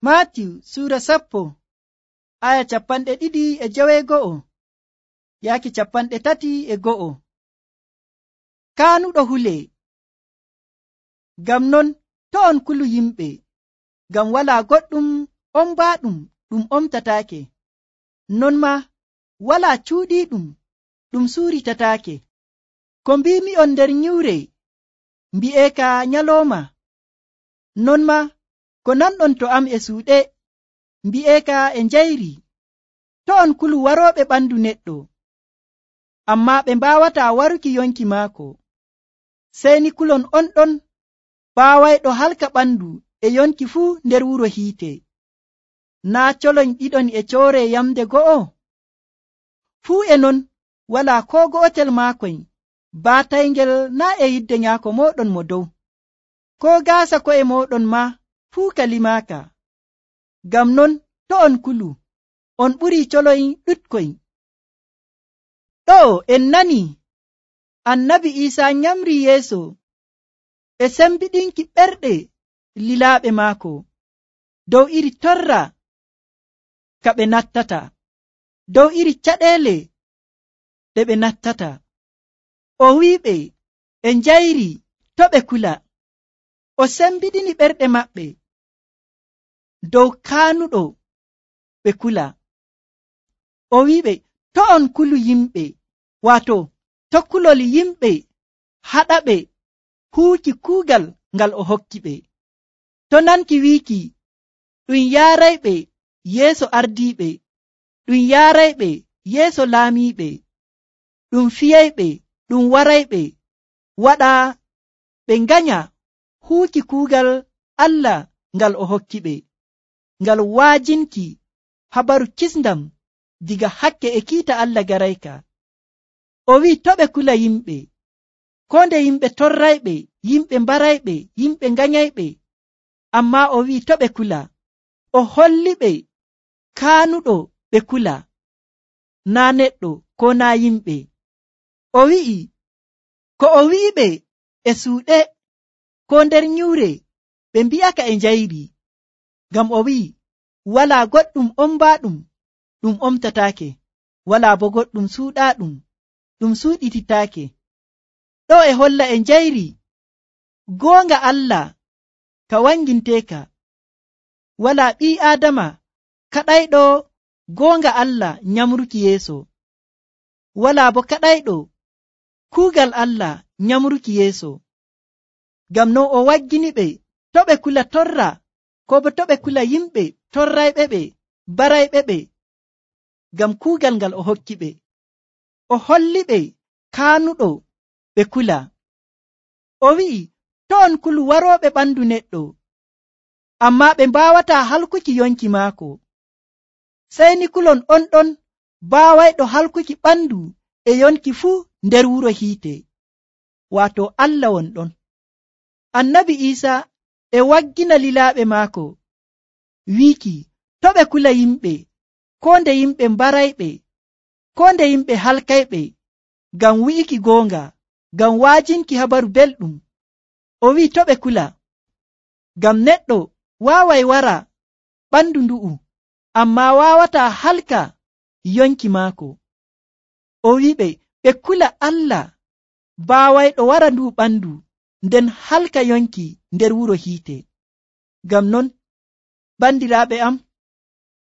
Maatiyu suura 10 aya 2:9 yaaki 3:1. Kaanuɗo hule. Ngam non to on kulu yimɓe, ngam walaa goɗɗum ombaaɗum ɗum omtataake, non ma walaa cuuɗiiɗum ɗum suuritataake. Ko mbiimi'on nder nyiwre mbi'eeka nyalooma, non ma ko nanɗon to am e suuɗe mbi'eeka e njayri. To on kulu warooɓe ɓandu neɗɗo, ammaa ɓe mbaawataa waruki yonki maako, sey ni kulon on ɗon baawayɗo halka ɓandu e yonki fuu nder wuro hiite. Naa colon ɗiɗon e coore yamde go'o? Fuu e non walaa koo go'otel maakoy baatayngel naa e yidde nyaako mooɗon mo dow. Koo gaasa ko'e mooɗon maa fuu ka limaaka. Ngam non to on kulu, on ɓurii coloy ɗuɗkoy. Ɗo en nani Annabi Iisaa nyamri yeeso e sembiɗinki ɓerɗe lilaaɓe maako dow iri torra ka ɓe nattata, dow iri caɗeele ɗe ɓe nattata. O wi'iɓe e njayri to ɓe kula. O sembiɗini ɓerɗe maɓɓe dow kaanuɗo ɓe kula. O wi'iɓe to on kulu yimɓe, waato to kulol yimɓe haɗaɓe huuki kuugal ngal o hokki ɓe. To nanki wiiki ɗum yaarayɓe yeeso ardiiɓe, ɗum yaarayɓe yeeso laamiiɓe, ɗum fiyayɓe, ɗum warayɓe waɗa ɓe nganya huuki kuugal Allah ngal o hokki ɓe, ngal waajinki habaru kisndam diga hakke e kiita Allah garayka. O wi'i to ɓe kula yimɓe, ko nde yimɓe torrayɓe, yimɓe mbarayɓe, yimɓe nganyayɓe, ammaa o wi'i to ɓe kula. O holliɓe kaanuɗo ɓe kula, naa neɗɗo ko naa yimɓe. O wi'i ko o wi'iɓe e suuɗe ko nder nyiwre ɓe mbi'aka e njayri, ngam o wi'i walaa goɗɗum ombaaɗum ɗum omtataake, walaa bo goɗɗum suuɗaaɗum ɗum suuɗititaake. Ɗo e holla e njayri goonga Allah ka wanginteeka. Walaa ɓii Aadama kaɗayɗo goonga Allah nyamruki yeeso, walaa bo kaɗayɗo kuugal Allah nyamruki yeeso. Ngam non o wagginiɓe to ɓe kula torra, ko bo to ɓe kula yimɓe torrayɓe ɓe, barayɓe ɓe, ngam kuugal ngal o hokki ɓe. O holliɓe kaanuɗo ɓe kula. O wi'i to on kulu warooɓe ɓandu neɗɗo, ammaa ɓe mbaawataa halkuki yonki maako, sey ni kulon on ɗon baawayɗo halkuki ɓandu e yonki fuu nder wuro hiite, waato Allah won ɗon. Annabi Iisaa e waggina lilaaɓe maako wiiki to ɓe kula yimɓe, ko nde yimɓe mbarayɓe, ko nde yimɓe halkayɓe, ngam wi'iki goonga, ngam waajinki habaru belɗum. O wi'i to ɓe kula, ngam neɗɗo waaway wara ɓandu ndu'u, ammaa waawataa halka yonki maako. O wi'iɓe ɓe kula Allah baawayɗo wara ndu ɓandu, nden halka yonki nder wuro hiite. Ngam non bandiraaɓe am,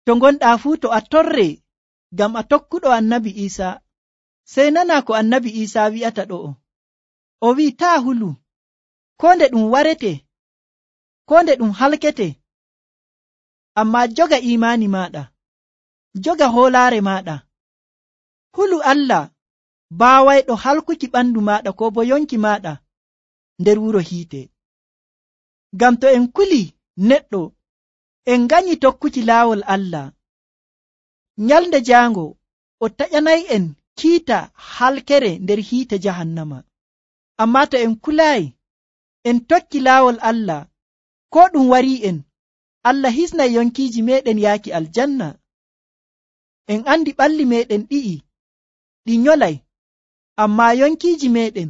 to ngonɗaa fuu to a torre ngam a tokkuɗo Annabi Iisaa, sey nana ko Annabi Iisaa wi'ata ɗo'o. O wi'i taa hulu, ko nde ɗum warete, ko nde ɗum halkete, ammaa joga imaani maaɗa, joga hoolaare maaɗa. Hulu Allah baawayɗo halkuki ɓandu maaɗa ko bo yonki maaɗa nder wuro hiite. Ngam to en kuli neɗɗo, en nganyi tokkuki laawol Allah, nyalnde jaango o taƴanay'en kiita halkere nder hiite jahannama. Ammaa to en kulaayi, en tokki laawol Allah, ko ɗum wari'en, Allah hisnay yonkiiji meɗen yaaki aljanna. En andi ɓalli meɗen ɗi nyolay, ammaa yonkiiji meɗen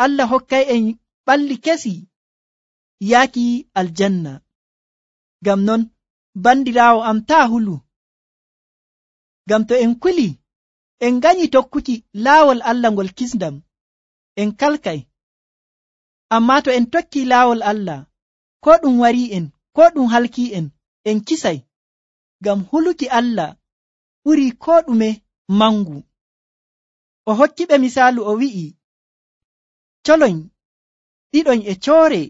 Allah hokkay en ɓalli kesi yaaki aljanna. Ngam non bandiraawo am taa hulu, ngam to en kuli en ganyi tokkuki laawol Allah ngol kisndam en kalkay. Ammaa to en tokki laawol Allah, ko ɗum warii en ko ɗum halkii en kisay, ngam huluki Allah ɓurii ko ɗume mangu. O hokkiɓe misaalu o wi'i, coloñ ɗiɗon e coore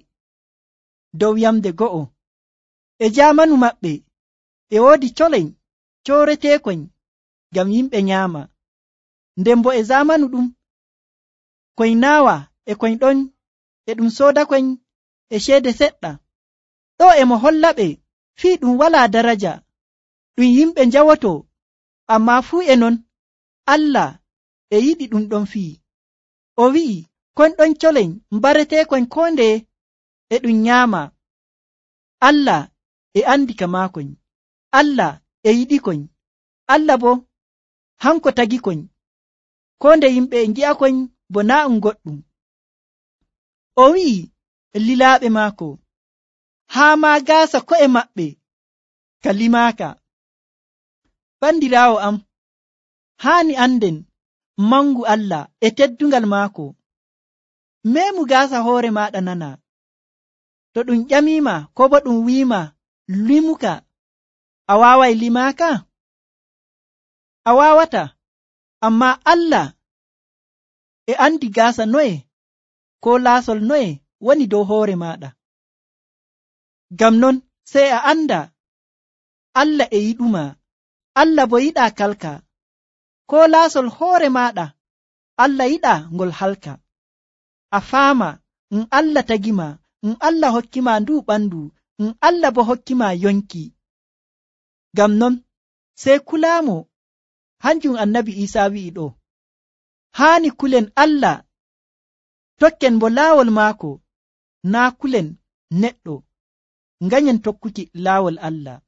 dow yamde go'o. E jaamanu maɓɓe e woodi coleñ cooreteekoñ ngam yimɓe nyaama, nden bo e zamanu ɗum koñ naawa e koñ ɗon e ɗum soodakoñ e ceede seɗɗa. Ɗo e mo hollaɓe fii ɗum walaa daraja, ɗum yimɓe njawoto, ammaa fuu e non Allah e yiɗi ɗum ɗon fii. O wi'i, koñ ɗon coleñ mbareteekoñ koo ndeye e ɗum nyaama. Allah e andi ka maakoñ, Allah e yiɗikoñ, Allah bo hanko tagikoñ, koo nde yimɓe e ngi'akoñ bo naa ɗum goɗɗum. O wi'i lilaaɓe maako, haa maa gaasa ko'e maɓɓe ka limaaka. Bandiraawo am, haani anden mangu Allah e teddungal maako. Meemu gaasa hoore maaɗa nana. To ɗum ƴamiima ko bo ɗum wiima limuka, a waaway limaaka? A waawata. Ammaa Allah e andi gaasa noye ko laasol noye woni dow hoore maaɗa. Ngam non sey a anda Allah e yiɗuma, Allah bo yiɗaa kalka. Ko laasol hoore maaɗa Allah yiɗaa ngol halka. A faama Allah tagima, Allah hokkima ndu ɓandu, Allah bo hokkima yonki. Ngam non sey kulaamo, hanjum annabi Iisaa wi'i ɗo, haani kulen Allah, tokken bo laawol maako, naa kulen neɗɗo, nganyen tokkuki laawol Allah.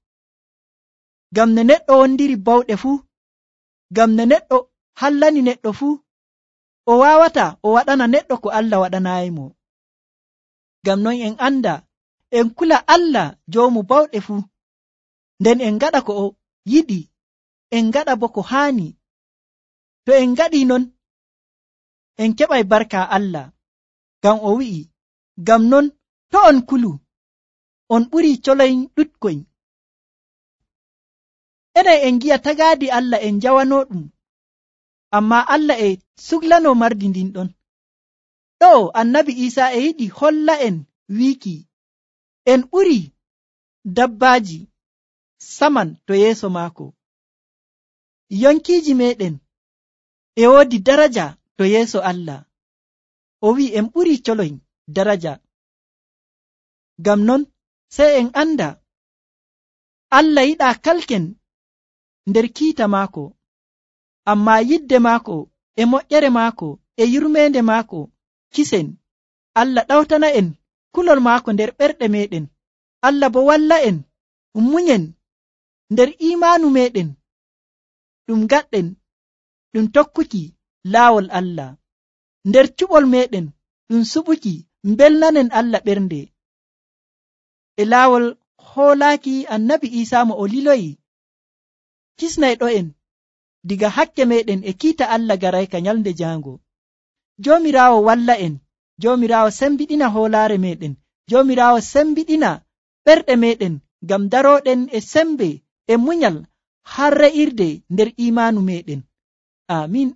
Ngam ne neɗɗo wondiri bawɗe fuu, ngam ne neɗɗo hallani neɗɗo fuu, o waawata o waɗana neɗɗo ko Allah waɗanaayimo. Ngam non en anda en kula Allah joomu bawɗe fuu, nden en ngaɗa ko o yiɗi, en ngaɗa bo ko haani. To en ngaɗii non en keɓay barka Allah, ngam o wi'i, ngam non to on kulu on ɓurii coloñ ɗuɗkoñ. Enen en ngi'a tagaadi Allah en njawanoo ɗum, ammaa Allah e suglanoo mardi ndin ɗon. Ɗo annabi Iisaa e yiɗi holla en wiiki en ɓurii dabbaaji saman to yeeso maako. Yonkiiji meɗen e woodi daraja to yeeso Allah. O wi'i en ɓurii coloñ daraja. Ngam non sey en anda Allah yiɗaa kalken nder kiita maako, ammaa yidde maako e moƴƴere maako e yurmeende maako kisen. Allah ɗawtana en kulol maako nder ɓerɗe meɗen. Allah bo walla en munyen nder imaanu meɗen, ɗum gaɗɗen ɗum tokkuki laawol Allah. Nder cuɓol meɗen ɗum suɓuki mbelnanen Allah ɓernde. E laawol hoolaaki annabi Iisaa mo o liloyi, kisnayɗo en diga hakke meɗen e kiita Allah garayka nyalnde jaango. Joomiraawo walla en, Joomiraawo sembiɗina hoolaare meɗen, Joomiraawo sembiɗina ɓerɗe meɗen ngam darooɗen e sembe e munyal har re'irde nder imaanu meɗen. Amin.